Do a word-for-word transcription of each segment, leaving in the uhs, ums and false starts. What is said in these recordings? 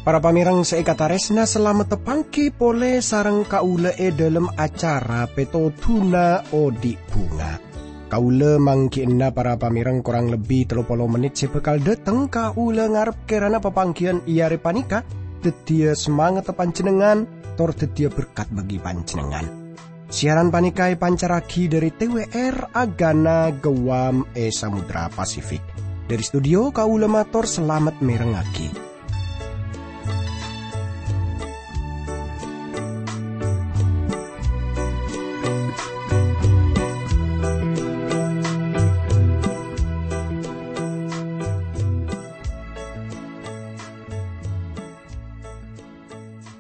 Para pamèrèng sè èkatarèsna, salamet tapangghi polè sareng kaulâ è dhâlem acara Pètodhuna Odi' Bhunga. Kaulâ mangghi'ânna para pamèrèng korang lebbi tello polo mennit sè bhâkal dhâteng. Kaulâ ngarep kèrana papangghiyân è arè panèka dhâddhiyâ samangatta panjhennengngan, tor dhâddhiyâ berkat bagi panjhennengngan. Siaran panèka èpancarraghi dhâri T W R Agana Guam è Samudra Pasifik. Dhâri studio, kaulâ mator salamet mèrèngngaghi.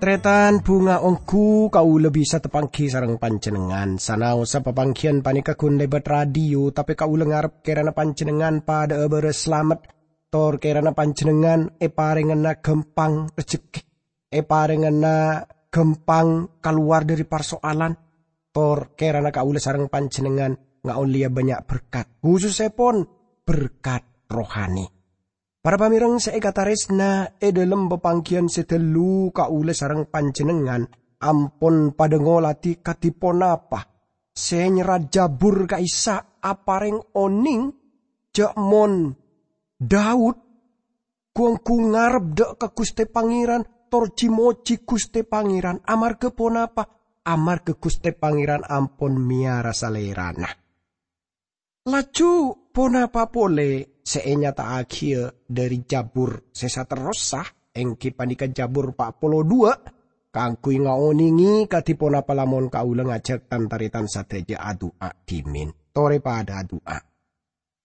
Tarètan, bhunga ongghu kaulâ bisa tapangghi sareng panjhennengngan. Sanaossa papangghiyân panèka ghun lèbât radio, tapè kaulâ ngarep kèrana panjhennengngan padhâ'â bârâs salamet, tor kèrana panjhennengngan èparèngana ghâmpang rejekkè, èparèngana ghâmpang kalowar dhâri parsoalan, tor kèrana kaulâ sareng panjhennengngan ngaollèya bânnya' berkat, khusussèpon berkat rohani. Para pamèrèng sè èkatarèsna, è dhâlem papangghiyân sè dâllu kaulâ sareng panjhennengngan ampon padhâ ngolatè kadhi ponapa sè nyerrat Jabur ka'issa' aparèng onèng jhâ' mon Daud gu-ongghu ngarep dhâ' ka Ghustè Pangèran, tor jhi-mojhi Ghustè Pangèran. Amarghâ ponapa? Amarghâ Ghustè Pangèran ampon mèyara salèrana. Laju ponapa polè sè ènyata'aghiyâ dhâri Jabur sè saterrossa, èngghi panèka Jabur pa' polo duwâ', kaangghuy ngaonèngè kadhi ponapa lamon kaulâ ngajhâk tan-tarètan sadhâjâ adu'a dhimèn. Torè padhâ adu'a.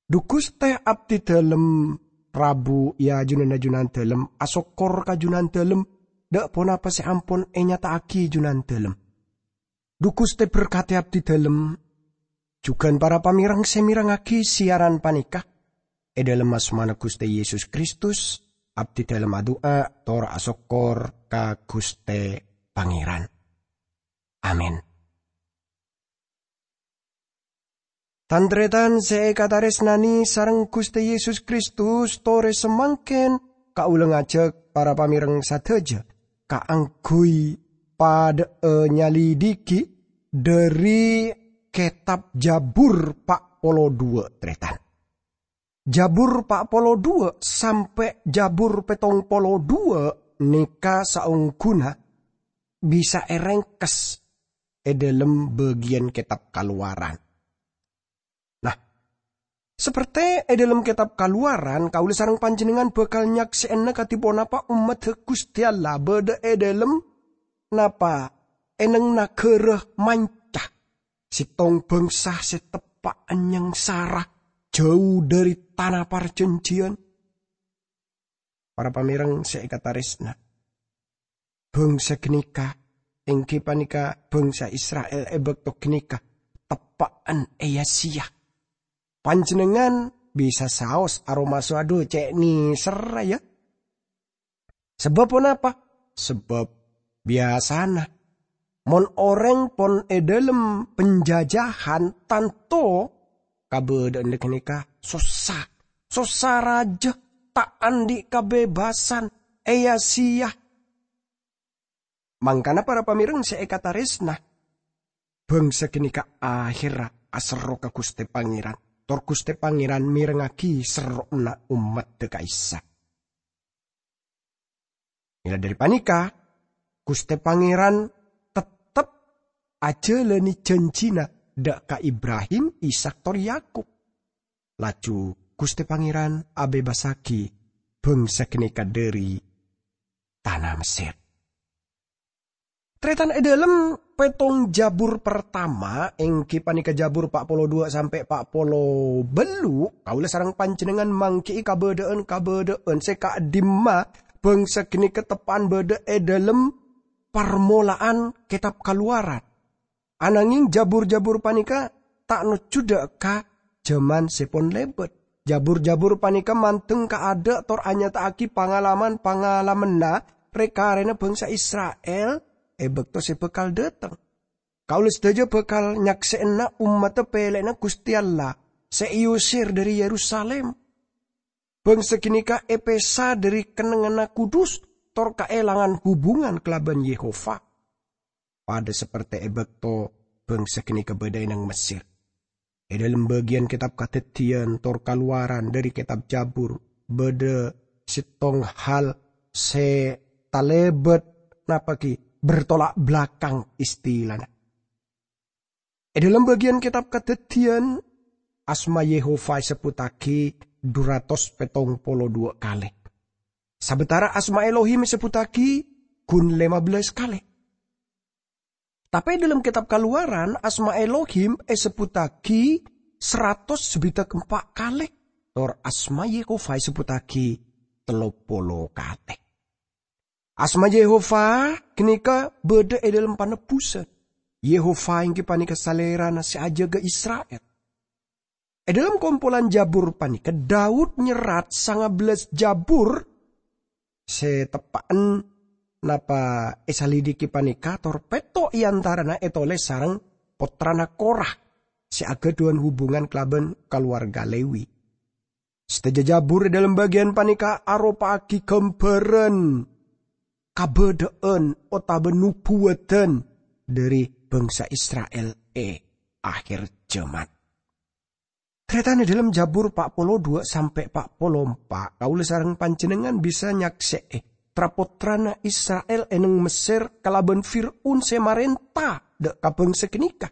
Dhu Ghustè abdhidhâlem rabu è ajunanna Junandhâlem, asokkor ka Junandhâlem, dhâ' ponapa sè ampon ènyata'aghi Junandhâlem. Dhu Ghustè berkadhi abdhidhâlem, jhughân para pamèrèng sè mèrèngngaghi siaran panèka. È dhâlem asmana Ghustè Yesus Kristus, abdhidhâlem adu'a tor asokkor ka Ghustè Pangèran. Amin. Tan-tarètan sè èkatarèsnanè sareng Ghustè Yesus Kristus, torè samangkèn kaulâ ngajhâk para pamèrèng sadhâjâ kaangghuy padhâ'â nyalidiki dhâri kètab Jabur pa' polo duwâ', tarètan. Jabur pa' polo duwâ' sampè' Jabur pèttong polo duwâ' nèka saongghuna bisa èrèngkes è dhâlem bâgiyân kètab Kalowaran. Nah, saperte è dhâlem kètab Kalowaran, kaulâ sareng panjhennengngan bhâkal nyaksè'ana kadhi ponapa ommaddhâ Ghustè Allah bâdâ è dhâlem napa, è neng naghârâ manca, sèttong bhângsa sè teppa'an nyangsara, jhâu dhâri tana parjhânjhiyân. Para pamèrèng sè èkatarèsna, bhângsa ghânèka, èngghi panèka bhângsa Isra'il è bâkto ghânèka, teppa'an èya-sèya. Panjhennengngan bisa saos aromasa, "Adhu, cè' nèserra, yâ." Sabâb ponapa? Sabâb biyasana, mon orèng pon è dhâlem panjajahan, tanto kabâdâ'ânna ghânèka sossa, sossa rajâ, ta' andi' kabebbasan, èya-sèya. Mangkana, para pamèrèng sè èkatarèsna, bhângsa ghânèka ahèrra aserro ka Ghustè Pangèran, tor Ghustè Pangèran mèrengngaghi serro'na ommaddhâ ka'issa'. Mèla dhâri panèka, Ghustè Pangèran tettep ajhâlânè jhânjhina dhâ' ka Ibrahim, Ishak, tor Yakub. Laju Ghustè Pangèran abebbassaghi bhângsa ghânèka dhâri tana Messèr. Tarètan, è dhâlem pèttong Jabur partama, èngghi panèka Jabur pa' polo duwâ' sampè' pa' polo bâllu', kaulâ sareng panjhennengngan mangghi'i kabâdâ'ân-kabâdâ'ân sè ka'dimma bhângsa ghânèka teppa'an bâdâ è dhâlem parmola'an Kètab Kalowaran. Anangging Jabur-jabur panèka ta' nojjhu dhâ' ka jhâman sè pon lèbât. Jabur-jabur panèka mandeng ka adâ' tor anyata'aghi pangalaman-pangalammanna rè-karèna bhângsa Isra'il è bâkto sè bhâkal dâteng. Kaulâ sadhâjâ bhâkal nyaksè'ana ommaddhâ pèlè'na Ghustè Allah sè èosèr dhâri Yerusalim. Bhângsa ghânèka èpèsa dhâri kennengnganna kudus tor kaèlangan hubungan kalabân Yehova. Padâ sapertè è bâkto bhângsa ghânèka bâdâ è neng Messèr. È dhâlem bâgiyân Kètab Kadhâddhiyân tor Kalowaran dhâri Kètab Jabur, bâdâ sèttong hal sè talèbât, napa ghi, bertolak belakang istilana. È dhâlem bâgiyân Kètab Kadhâddhiyân, asma Yehova èsebbhuttaghi dhu ratos pèttong polo dhu kalè. Sabâtara asma Elohim èsebbhuttaghi ghun lèma bellâs kalè. Tapè è dhâlem Kètab Kalowaran, asma Elohim èsebbhuttaghi saratos sabidhâk empa' kalè, tor asma Yehova èsebbhuttaghi tello polo kalè. Asma Yehova ghânèka bâdâ è dhâlem panebbhusân. Yehova èngghi panèka Salèrana sè ajâgâ Isra'il. È dhâlem kompolan Jabur panèka, Daud nyerrat sanga bellâs Jabur sè teppa'en napa èsalidiki panèka, tor pètto' è antarana ètolès sareng pottrana Korah sè aghâdhuwân hubungan kalabân kalowarga Lewi. Sadhâjâ Jabur è dhâlem bâgiyân panèka aropa'aghi ghâmbhârân kabâdâ'ân otabâ nobuwâdhân dhâri bhângsa Isra'il è akhèr jhâman. Tarètan, è dhâlem Jabur pa' polo dhu sampè' pa' polo empa', kaulâ sareng panjhennengngan bisa nyaksè'è tra-pottrana Isra'il è neng Messèr kalabân Fir'aun sè marènta dâ' ka bhângsa ghânèka.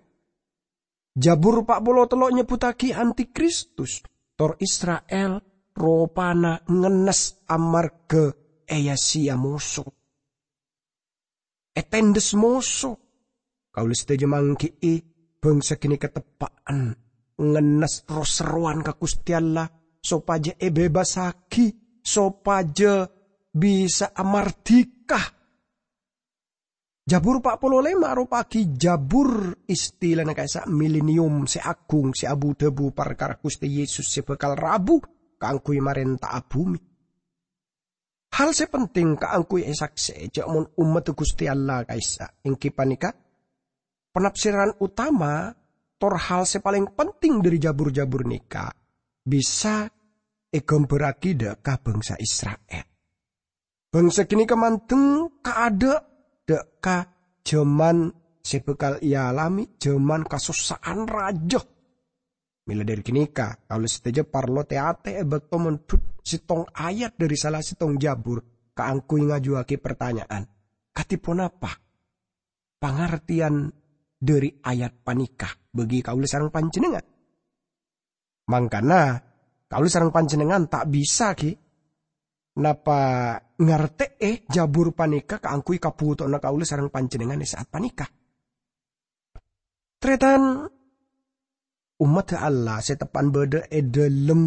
Jabur pa' polo tello' nyebbhuttaghi antikristus, tor Isra'il ropana ngennes amarghâ èya-sèya moso. Ètendhes moso. Kaulâ sadhâjâ mangghi'i bhângsa ghânèka teppa'en ngennes ro-serrowan ka Ghustè Allah, sopajâ èbebasaghi, sopajâ bisa'a mardhika. Jabur pa' polo lèma' aropa'aghi jabur istilana ka'issa' milenium sè aghung sè abu-dhâbu parkara Ghustè Yesus sè bhâkal rabu kaangghuy marènta'a bhumè. Hal sè penting kaangghuy èsaksè'è jhâ' mon ommaddhâ Ghustè Allah ka'issa' èngghi panèka panafsiran otama tor hal sè palèng penting dhâri jabur-jabur nèka bisa èghâmbhârraghi dâ' ka bhângsa Isra'il. Bhângsa ghânèka mandeng kaadâ' dâ' ka jhâman sè bhâkal èalamè jhâman kasossa'an rajâ. Mèla dhâri ghânèka, kaulâ sadhâjâ parlo tè-atè è bâkto mondhut sèttong ayat dhâri sala sèttong jabur kaangghuy ngajuwâghi partanya'an, kadhi ponapa pangartèyan dhâri ayat panèka bagi kaulâ sareng panjhennengngan? Mangkana, kaulâ sareng panjhennengngan ta' bisa ghi napa ngartè'è jabur panèka kaangghuy kabhutowanna kaulâ sareng panjhennengngan è sa'at panèka. Tarètan, ommaddhâ Allah sè teppa'en bâdâ è dhâlem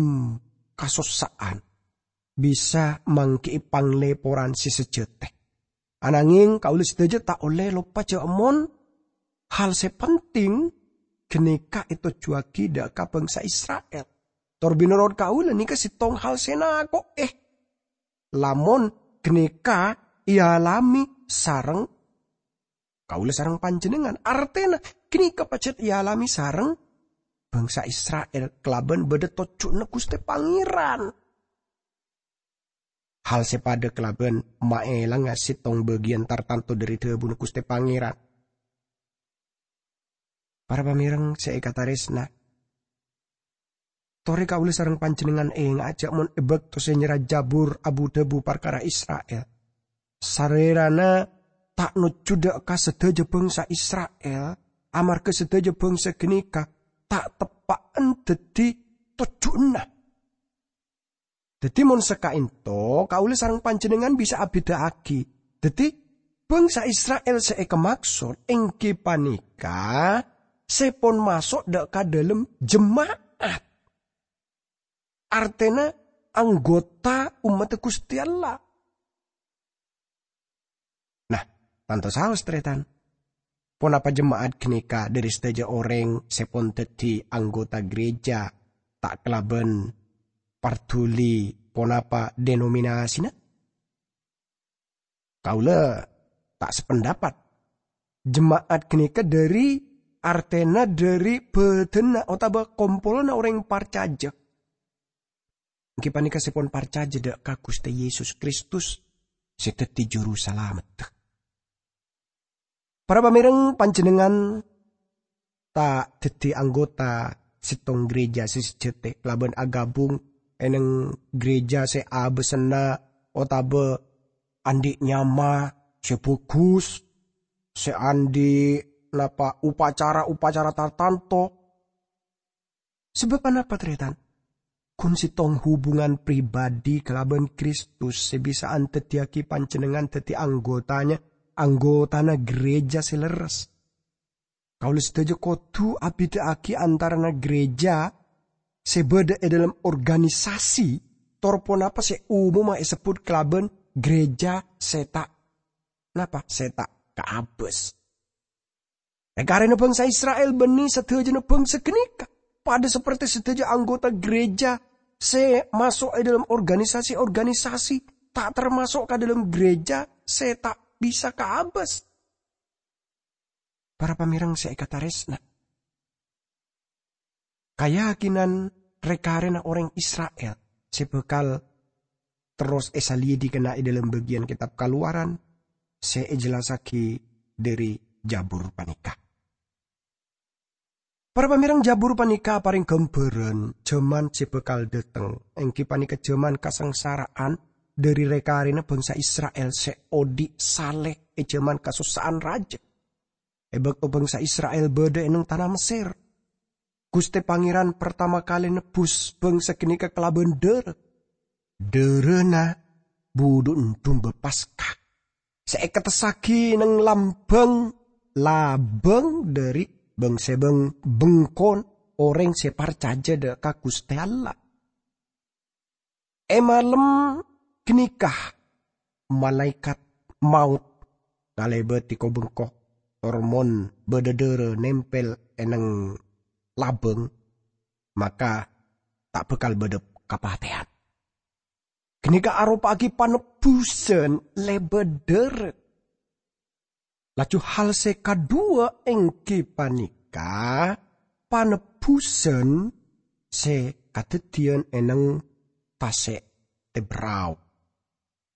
kasossa'an bisa mangghi'i panglèporan sè sajhâtè. Anangèng kaulâ sadhâjâ ta' ollè loppa jhâ' mon hal sè penting ghânèka ètojjhuwâghi dâ' ka bhângsa Isra'il. Tor binonorot kaulâ nèka sèttong hal sè nako'è. Lamon ghânèka èalamè sareng kaulâ sareng panjhennengngan. Artèna, ghânèka pajhât èalamè sareng bhângsa Isra'il kalabân bâdâ tojjhuna Ghustè Pangèran. Hal sè padâ kalabân maèlanga sèttong bâgiyân tartanto dhâri dhâbuna Ghustè Pangèran. Para pamèreng sè èkatarèsna, torè kaulâ sareng panjhennengngan ènga'a jhâ' mon è bâkto sè nyerra jabur abu-dhâbu parkara Isra'il, Salèrana ta' nojjhu dâ' ka sadhâjâ bhângsa Isra'il, amarghâ sadhâjâ bhângsa ghânèka ta' teppa'en dhâddhi tojjhuna. Dhâddhi, mon saka'ènto, kaulâ sareng panjhennengngan bisa abhidhâ'aghi. Dhâddhi, bhângsa Isra'il sè èkamaksod èngghi panèka sè pon maso' dâ' ka dhâlem jema'at, artèna anggota ommaddhâ Ghustè Allah. Nah, tanto saos, tarètan. Ponapa jema'at ghânèka dhâri sadhâjâ orèng sè pon dhâddhi anggota gereja, ta' kalabân parduli ponapa denominasina? Kaulâ ta' sapendapat. Jema'at ghânèka dhâri, artèna dhâri bâdânna otabâ kompolanna orèng parcajâ. Èngghi panèka sè pon parcajâ dhâ' ka Ghustè Yesus Kristus sè dhâddhi Juru Salameddhâ. Para pamèrèng, panjhennengngan ta' dhâddhi anggota sèttong ghârèjâ sè sajhâtè kalabân aghâbung è nèng ghârèjâ sè abâssanna otabâ andi' nyama sè bhâghus, sè andi' napa upacara-upacara tartanto. Sabâb anapa, tarètan? Ghun sèttong hubungan pribadi kalabân Kristus sè bisa andhâddhiyâghi panjhennengngan dhâddhi anggotana, anggotana ghârèjâ sè lerres. Kaulâ sadhâjâ kodhu abhidhâ'aghi antarana ghârèjâ sè bâdâ è dhâlem organisasi tor ponapa sè omomma èsebbhut kalabân ghârèjâ sè ta', napa? Sè ta' kaabâs. Rè-karèna bhângsa Isra'il bânnè sadhâjâna bhângsa ghânèka, padâ saperti sadhâjâ anggota ghârèjâ sè maso' è dhâlem organisasi-organisasi, ta' tarmaso' ka dhâlem ghârèjâ sè ta' bisa kaabâs. Para pamèrèng sè èkatarèsna, kayakinan rè-karèna orèng Isra'il sè bhâkal terros èsaliyidi kèng è dhâlem bâgiyân Kètab Kalowaran sè èjellassaghi dhâri Jabur panèka. Para pamèrèng, Jabur panèka aparèng ghâmbhârân jhâman sè bhâkal dhâteng, èngghi panèka jhâman kasangsara'an dhâri rè-karèna bhângsa Isra'il sè odi' salè è jhâman kasossa'an rajâ. È bâkto bhângsa Isra'il bâdâ è nèng tana Messèr, Ghustè Pangèran partama kalè nebbhus bhângsa ghânèka kalabân dârâ. Dârâna budhu'na Dumba Paska sè èkattessaghi nèng lambâng, labâng dhâri bâng-sèbâng bengkona orèng sè parcajâ dhâ' ka Ghustè Allah. È malem ghânèka malaèkat maot ngalèbâdhi ko-bengko, tor mon bâdâ dârâ nèmpèl è nèng labâng, maka ta' bhâkal bâdâ kapatèyan. Ghânèka aropa'aghi panebbhusân lèbât dârâ. Laju hal sè kaduwâ' èngghi panèka panebbhusân sè kadhâddhiyân è nèng Tasè' Tèbrau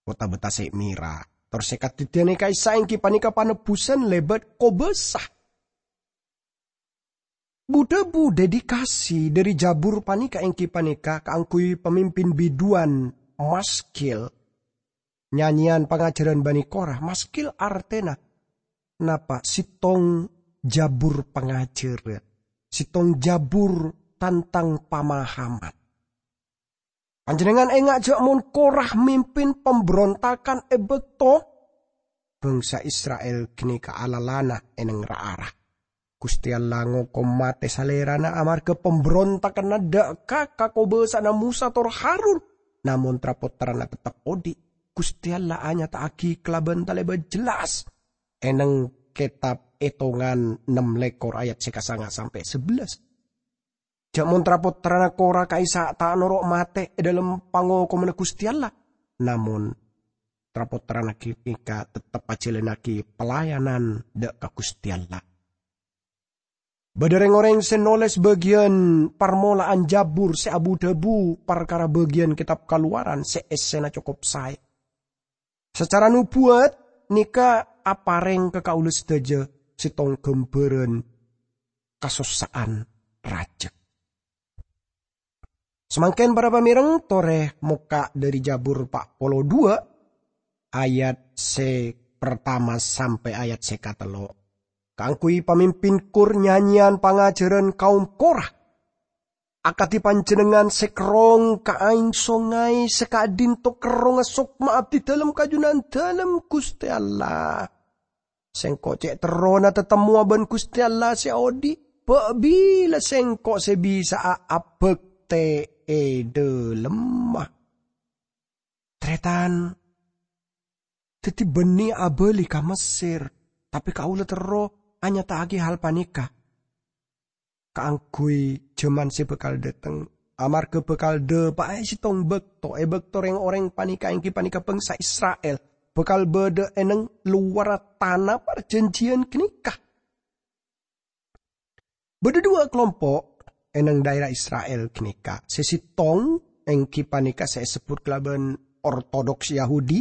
otabâ Tasè' Mèra. Tor sè kadhâddhiyân è ka'issa' èngghi panèka panebbhusân lèbât kobâsa. Bu-dhâbu dedikasi dhâri Jabur panèka èngghi panèka kaangghuy pamimpin biduwân Maskil, nyanyèyan pangajhârân Bani Korah. Maskil artèna napa? Sèttong jabur pangajhârân, sèttong jabur tantang pamahaman. Panjhennengngan enga' jhâ' mon Korah mimpin pambrontakan è bâkto bhângsa Isra'il ghânèka alalana è nèng ra-ara. Ghustè Allah ngokom matè salèrana amarghâ pambrontakanna dhâ' ka kakobâsa'anna Mosa tor Harun, namong tra-pottrana teptep odi'. Ghustè Allah anyata'aghi kalabân talèbât jellas è nèng Kètab Ètongan ennem lèkor ayat sè kasanga sampè' sabellâs. Jhâ' mon tra-pottrana Korah ka'issa' ta' noro' matè è dhâlem pangokomanna Ghustè Allah, namong tra-pottrana ghânèka teptep ajhâlannaghi pelayanan dhâ' ka Ghustè Allah. Bâdâ rèng-orèng sè nolès bâgiyân parmola'an Jabur sè abu-dhâbu parkara bâgiyân Kètab Kalowaran sè essèna cokop saè. Sacara nobuwat, nèka aparèng ka kaulâ sadhâjâ sèttong ghâmbhârân kasossa'an rajâ. Samangkèn, para pamèrèng, torè mokka' dhâri Jabur pa' polo duwâ', ayat sè partama sampè' ayat sè katello'. Kaangghuy pamimpin kor nyanyèyan pangajhârân kaom Korah. Akadhi panjhennengngan sè kerrong ka aèng songay sè ka'dinto kerrongnga sokma abdhidhâlem kajunan dhâlem Ghustè Allah. Sèngko' cè' terrona tatemmowa bân Ghustè Allah sè odi'. Bâ' bilâ sèngko' sè bisa'a abhâktè è dhâlemma? Tarètan, dhâddhi bânnè abâli ka Messèr, tapè kaulâ terro anyata'aghi hal panèka kaangghuy jhâman sè bhâkal dhâteng, amarghâ bhâkal dhâpa'a è sèttong bâkto, è bâkto rèng-orèng panèka èngghi panèka bhângsa Isra'il bhâkal bâdâ è neng lowarra tana parjhânjhiyân ghânèka. Bâdâ duwâ' kalompo' è neng dhaèra Isra'il ghânèka. Sè sèttong èngghi panèka sè èsebbhut kalabân Ortodoks Yahudi,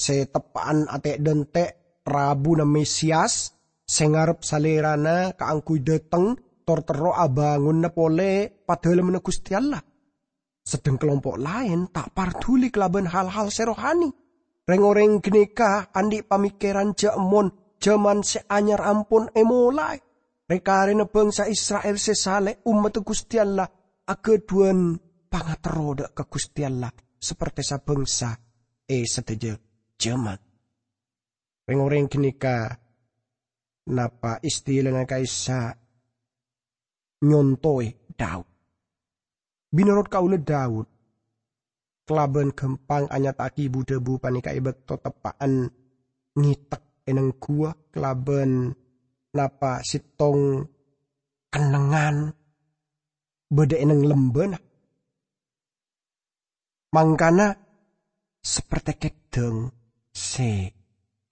sè teppa'an atè'-dhântè' rabuna Mesias, sè ngarep Salèrana kaangghuy dâteng, tor terro abângonna polè Padalemmanna Ghustè Allah. Sedheng kalompo' laèn ta' parduli kalabân hal-hal sè rohani. Rèng-orèng ghânèka andi' pamèkkèran jhâ' mon jhâman sè anyar ampon èmolaè. Rè-karèna bhângsa Isra'il sè salè ommaddhâ Ghustè Allah aghâdhuwân pangaterro dâ' ka Ghustè Allah, sapertè sabhângsa è sadhâjâ jhâman. Rèng-orèng ghânèka napa istilana ka'issa' nyontowè Daud. Mènorot kaulâ Daud kalabân ghâmpang anyata'aghi bu-dhâbu panèka è bâkto teppa'an ngètek è neng ghuwâ kalabân napa sèttong kennengngan bâdâ è neng lembâna. Mangkana, sapertè kèdhâng sè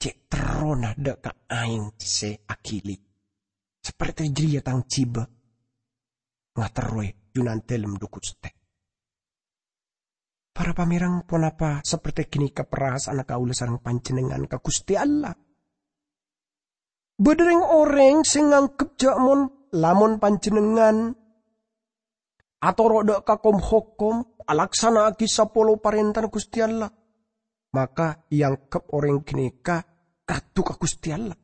cè' terrona dâ' ka aèng sè aghili, sapertè jârèya tang jhibâ ngaterrowè Junandâlem, dhu Ghustè. Para pamèreng, ponapa sapertè ghânèka parasa'anna kaulâ sareng panjhennengngan ka Ghustè Allah? Bâdâ rèng-orèng sè nganggep jhâ' mon, lamon panjhennengngan atoro' dâ' ka kom-hokom, alaksana'aghi sapolo parèntana Ghustè Allah, maka èangghep orèng ghânèka rato ka Ghustè Allah.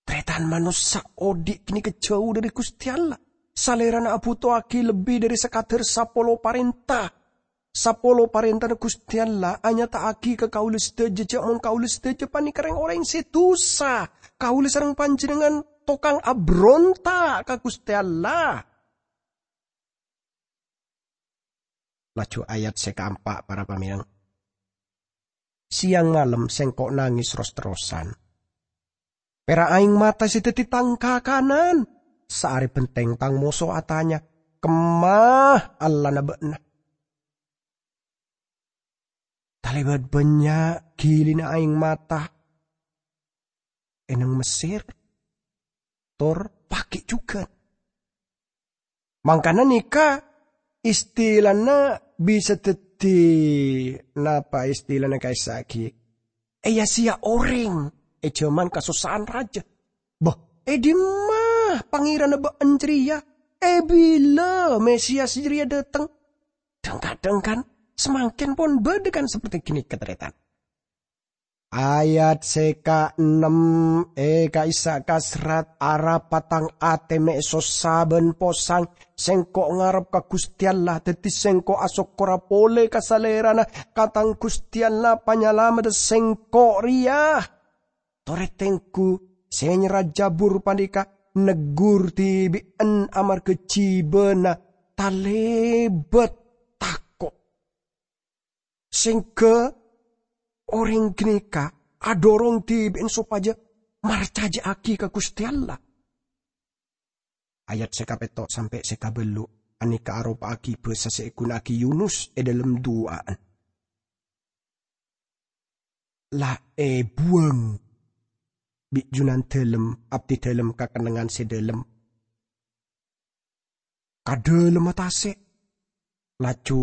Tarètan, manossa odi' ghânèka jhâu dhâri Ghustè Allah. Salèrana abhuto'aghi lebbi dhâri sakadhâr sapolo parènta. Sapolo parèntana Ghustè Allah anyata'aghi ka kaulâ sadhâjâ jhâ' mon kaulâ sadhâjâ panèka rèng-orèng sè dhusa. Kaulâ sareng panjhennengngan tokang abronta' ka Ghustè Allah. Laju ayat sè kaempa', para pamèreng. Sèyang malem sèngko' nangès ros-terrosan. Pèra' aèng mata sè dhâddhi tang kakanan. Saarè bhenteng tang moso atanya, "Kemma Allahna bâ'na?" Talèbât bânnya' ghilina aèng mata è neng Messèr, tor paghi' jhughân. Mangkana nèka istilana bisa dhâddhi, napa istilana ka'issa' ghi? Èya-sèya orèng è jhâman kasossa'an rajâ. Bâh, è dimma Pangèranna bâ'na jârèya? È bilâ Mesias jârèya dâteng? Dhâng-kadhâng kan, samangkèn pon bâdâ kan sapertè ghânèka, tarètan. Ayat sè kaennem, è ka'issa' kaserrat, "Arapa tang atè mè' sossa bân posang. Sèngko' ngarep ka Ghustè Allah, dhâddhi sèngko' asokkorra polè ka Salèrana, ka tang Ghustè Allah, Panyalameddhâ sèngko' rèya." Torè tengghu sè nyerra jhâbur panèka neggur dhibi'en amarghâ jhibâna talèbât tako'. Sèngghâ orèng ghânèka adhorong dhibi'en sopajâ marcajâ'aghi ka Ghustè Allah. Ayat sè kapètto' sampè' sè kabâllu' anèka aropa'aghi bhâsa sè èghuna'aghi Yunus è dhâlem du'a'an. La èbuwâng bi' Junandhâlem, abdhidhâlem ka kennengngan sè dhâlem, ka dhâlemma tasè', laju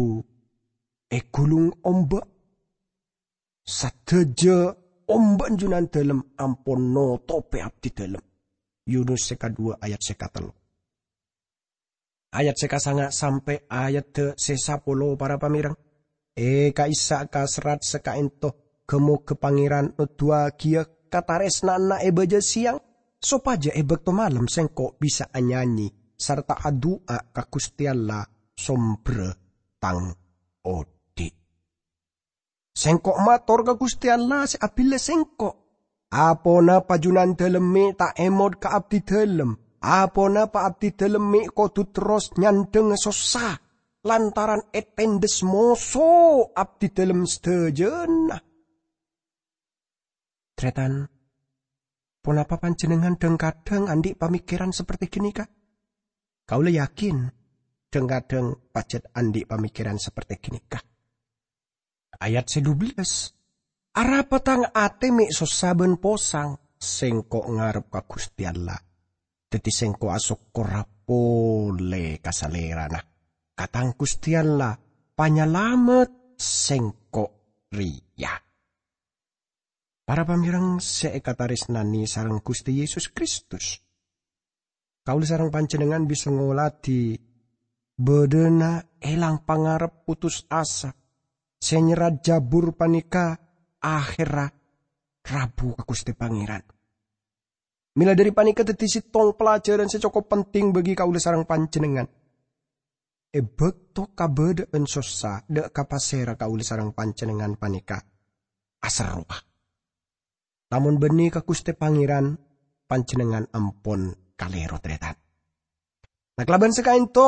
èghulung omba'. Sadhâjâ omba'na Junandhâlem ampon notobhi abdhidhâlem. Yunus sè kadhuwâ ayat sè katello'. Ayat sè kasanga' sampè' ayadda sè sapolo, para pamèreng. È ka'issa' kaserrat sè ka'ènto, ghâ-moghâ Pangèran noduwâghiyâ katarèsna'anna è bâjâ sèyang, sopajâ è bâkto malem sèngko' bisa anyanyi sarta adu'a ka Ghustè Allah, sombherra tang odi'. Sèngko' mator ka Ghustè Allah sè abillâ sèngko'. Aponapa Junandhâlem mè' ta' èmot ka abdhidhâlem? Aponapa abdhidhâlem mè' kodhu terros nyandhângnga sossa lantaran ètendhes moso abdhidhâlem sadhâjâna? Tarètan, ponapa panjhennengngan dhâng-kadhâng andi' pamèkkèran sapertè ghânèka? Kaulâ yakin, dhâng-kadhâng pajhât andi' pamèkkèran sapertè ghânèka. Ayat sè dubellâs, "Arapa tang atè mè' sossa bân posang? Sèngko' ngarep ka Ghustè Allah. Dhâddhi sèngko' asokkora polè ka Salèrana, ka tang Ghustè Allah, Panyalamet sèngko' rèya." Para pamèreng sè èkatarèsnanè sareng Ghustè Yesus Kristus, kaulâ sareng panjhennengngan bisa ngoladhi bâdâna èlang pangarep putus asa sè nyerrat jhâbur panèka aherra rabu ka Ghustè Pangèran. Mèla dhâri panèka dhâddhi sèttong pelajaran sè cokop penting bagi kaulâ sareng panjhennengngan. È bâkto kabâdâ'ân sossa, dhâ' ka pasèra kaulâ sareng panjhennengngan panèka aserrowa. Lamon bânnè ka Ghustè Pangèran, panjhennengngan ampon kalèro, tarètan. Nah, kalabân sè ka'ènto,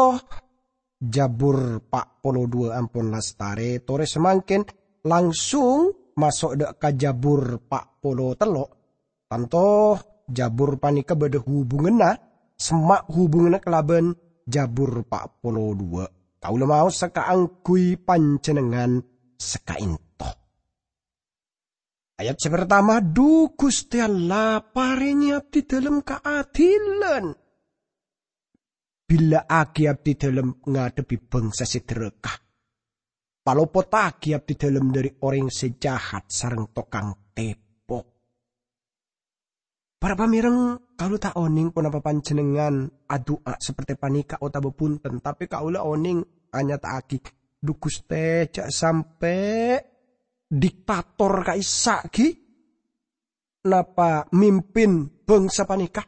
Jhâbur pa' polo duwâ' ampon lastarè, torè samangkèn langsung maso' dhâ' ka Jhâbur pa' polo tello'. Tanto Jhâbur panèka bâdâ hubunganna, semma' hubunganna kalabân Jhâbur pa' polo duwâ'. Kaulâ maosa kaangghuy panjhennengngan saka'ènto. Ayat sè partama, "Dhu Ghustè Allah, parèngè abdhidhâlem kaadilan. Billâ'aghi abdhidhâlem ngadhebbhi bhângsa sè dhârâka. Palopottaghi abdhidhâlem dhâri orèng sè jahat sareng tokang tèpo." Para pamèreng, kaulâ ta' onèng ponapa panjhennengngan adu'a saperte panèka otabâ bhunten, tapè kaulâ onèng anyata'aghi, "Dhu Ghustè, jhâ' sampè' diktator ka'issa' ghi' napa mimpin bhângsa panèka."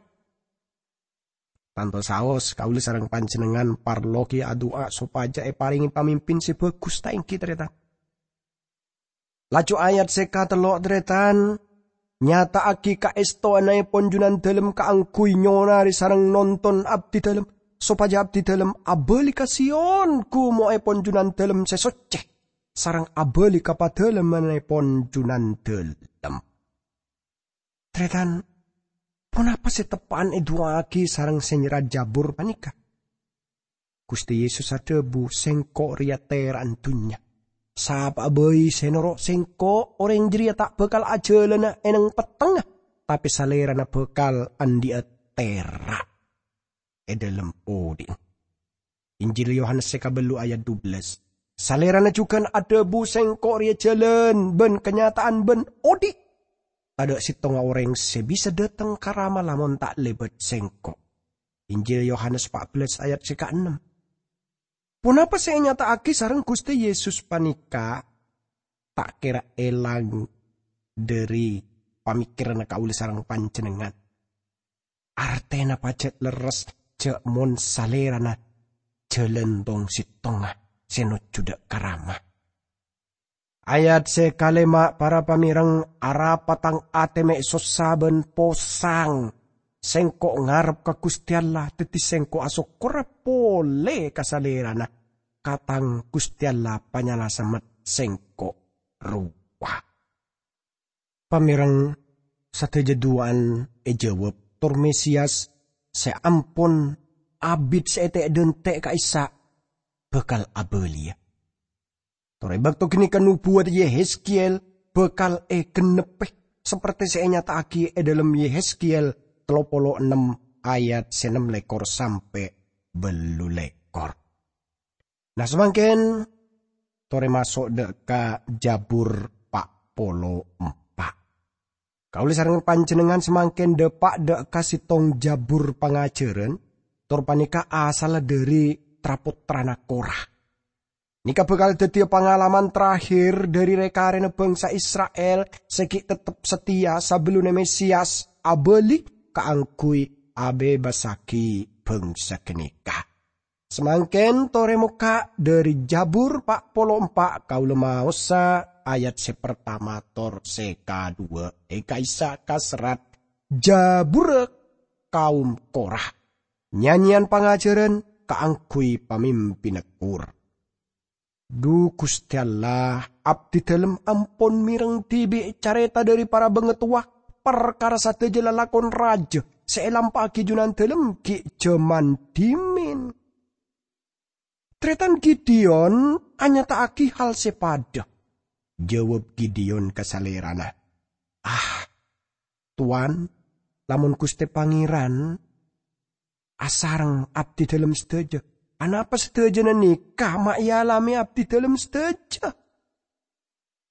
Tanto saos kaulâ sareng panjhennengngan parlo ghi' adu'a sopajâ èparèngè pamimpin sè bhâghus, ta' ènggi, tarètan? Laju ayat sè katello', tarètan, "Nyata'aghi kaèstowannaèpon Junandhâlem kaangghuy nyonarè sareng nonton abdhidhâlem, sopajâ abdhidhâlem abâli ka Sion, ghumo'èpon Junandhâlem sè soccè, sareng abâli ka padâlemmanèpon Junandhâlem." Tarètan, ponapa sè teppa'an èdu'aaghi sareng sè nyerrat jhâbur panèka? Ghustè Yesus adhâbu, "Sèngko' rèya tèra'na dhunnya. Sapa'a bhâi sè noro' Sèngko', orèng jârèya ta' bhâkal ajhâlâna è neng-pettengnga, tapè salèrana bhâkal andi'â tèra' è dhâlem odi'na." Injil Yohanes sè kabellu ayat dubellâs. Salèrana jhughân adhâbu, "Sèngko' rèya jhâlân bân kanyata'an bân odi'. Tadhâ' sèttonga orèng sè bisa dâteng ka Rama lamon ta' lèbât Sèngko'." Injil Yohanes pa' bellâs ayat sè kaennem. Ponapa sè ènyata'aghi sareng Ghustè Yesus panèka ta' kèra èlang dhâri pamèkkèranna kaulâ sareng panjhennengngan. Artèna pajhât lerres jhâ' mon salèrana jhâlân tong-sèttonga sè nojjhu dâ' ka Rama. Ayat sè kalèma', para pamèreng, "Arapa tang atè mè' sossa bân posang? Sèngko' ngarep ka Ghustè Allah, dhâddhi sèngko' asokkorra polè ka Salèrana, ka tang Ghustè Allah Panyalamet sèngko' rowa." Pamèreng, sadhâjâ duwâ'ân èjâwâb, tor Mesias sè ampon abit sè ètè'-dhântè' ka'issa' bhâkal abâliyâ. Tor è bâkto ghânèka nobuwat Yehezkiel bhâkal ègennebbhi, saperte sè ènyata'aghi è dhâlem Yehezkiel tello polo ennem ayat sè ennem lèkor sampè' ballu lèkor. Nah, samangkèn torè maso' dâ' ka Jabur pa' polo empa'. Kaulâ sareng panjhennengngan samangkèn dâpa' dâ' ka sèttong jabur pangajhârân, tor panèka asalla dhâri tra-pottrana Kora. Nèka bhâkal dhâddhiyâ pangalaman terakhir dhâri rè-karèna bhângsa Isra'il sè ghi' tettep sateya sabellunna Mesias abâli kaangghuy abebasaghi bhângsa ghânèka. Samangkèn torè mokka' dhâri Jabur pa' polo empa' kaulâ maosa ayat sè partama tor sè kaduwâ' è ka'issa' kaserrat Jaburra kaum Kora. Nyanyèyan pangajhârân kaangghuy pamimpinna Kor. Dhu Ghustè Allah, abdidhâlem ampon mèreng dhibi' carèta dhâri para bangatowa parkara sadhâjâ lalakon rajâ sè èlampa'aghi Junandhâlem ghi' jhâman dhimèn. Tarètan Gideon anyata'aghi hal sè padâ. Jawab Gideon ka salèrana, "Ah, Towan, lamon Ghustè Pangèran asareng abdidhâlem sadhâjâ, anapa sadhâjâna nèka ma' èalamè abdidhâlem sadhâjâ?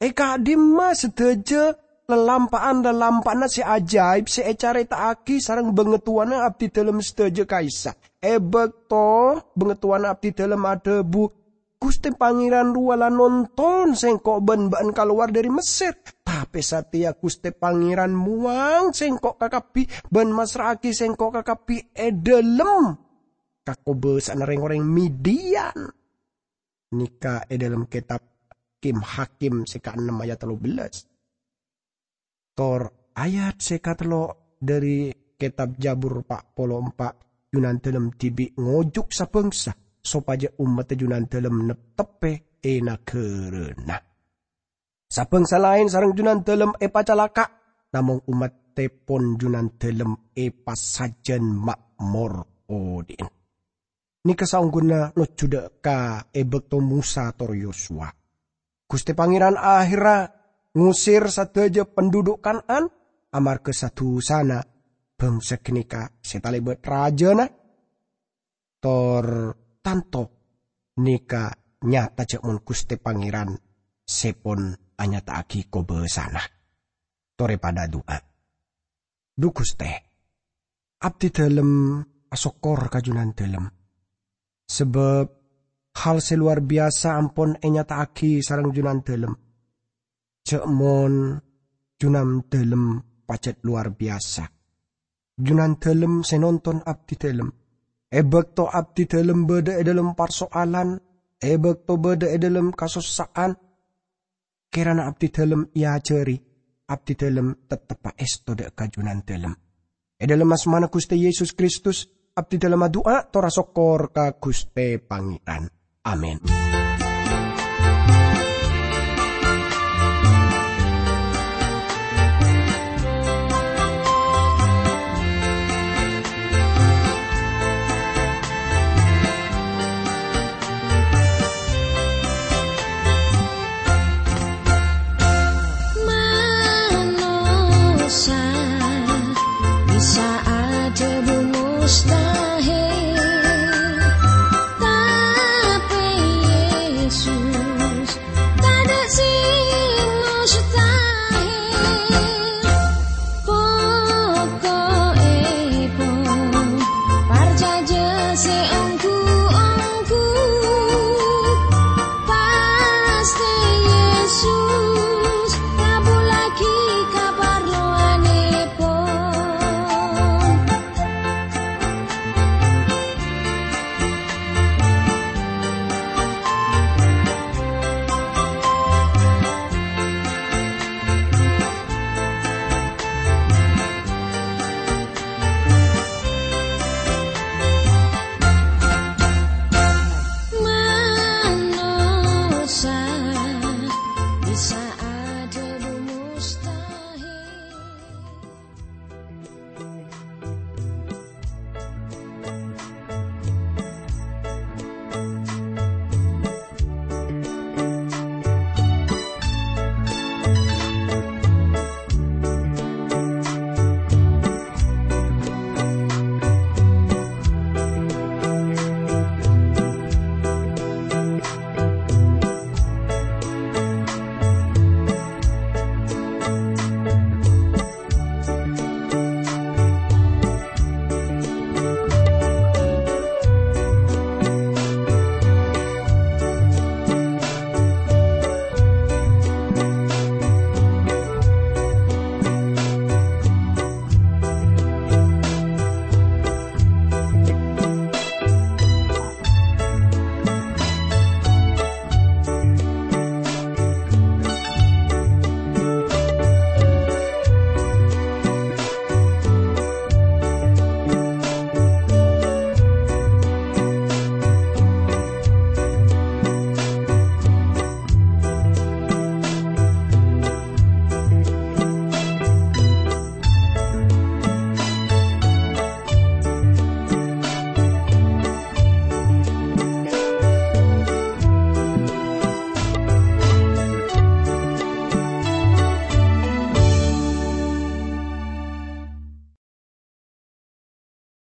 È ka'dimma sadhâjâ lalampa'an-lalampa'anna sè ajaib sè ècarèta'aghi sareng bhângatowana abdidhâlem sadhâjâ ka'issa'? È bâkto bhângatowana abdidhâlem adhâbu, 'Ghustè Pangèran rowa la nonton sèngko' bân bâ'ân kalowar dhâri Messèr, tapè satèya Ghustè Pangèran mowang sèngko' kakabbhi bân massra'aghi sèngko' kakabbhi è dhâlem ka kobâsa'anna rèng-orèng Midian.'" Nèka è dhâlem kètab Kim Hakim sè kaennem ayat tello bellâs. Tor ayat sè katello' dhâri kètab Jabur pa' polo empa', Junandhâlem dhibi' ngojuk sabhângsa sopajâ ommaddhâ Junandhâlem neptebbhâ è naghârâna. Sabhângsa laèn sareng Junandhâlem èpacalaka', namong ommaddhâpon Junandhâlem èpasajân ma'mor odhi'na. Nèka saongghuna lojjhu dhâ' ka è bâkto Mosa tor Yosuwa. Ghustè Pangèran ahèrra ngosèr sadhâjâ pandhudhuk Kan'an amarghâ sa-dhusana bhângsa ghânèka sè talèbât rajâna, tor tanto nèka nyata jhâ' mon Ghustè Pangèran sè pon anyata'aghi kobâsana. Torè padâ adu'a. Dhu Ghustè, abdidhâlem asokkor ka Junandhâlem, sabâb hal sè lowar biyasa ampon ènyata'aghi sareng Junandhâlem. Jhâ' mon Junandhâlem pajhât lowar biyasa. Junandhâlem sè nonton abdidhâlem. È bâkto abdidhâlem bâdâ è dhâlem parso'alan, è bâkto bâdâ è dhâlem kasossa'an, kèrana abdidhâlem èajhâri, abdidhâlem tettep aèsto dhâ' ka Junandhâlem. È dhâlem asmana Ghustè Yesus Kristus, abdidhâlem adu'a tor asokkor ka Ghustè Pangèran. Amin.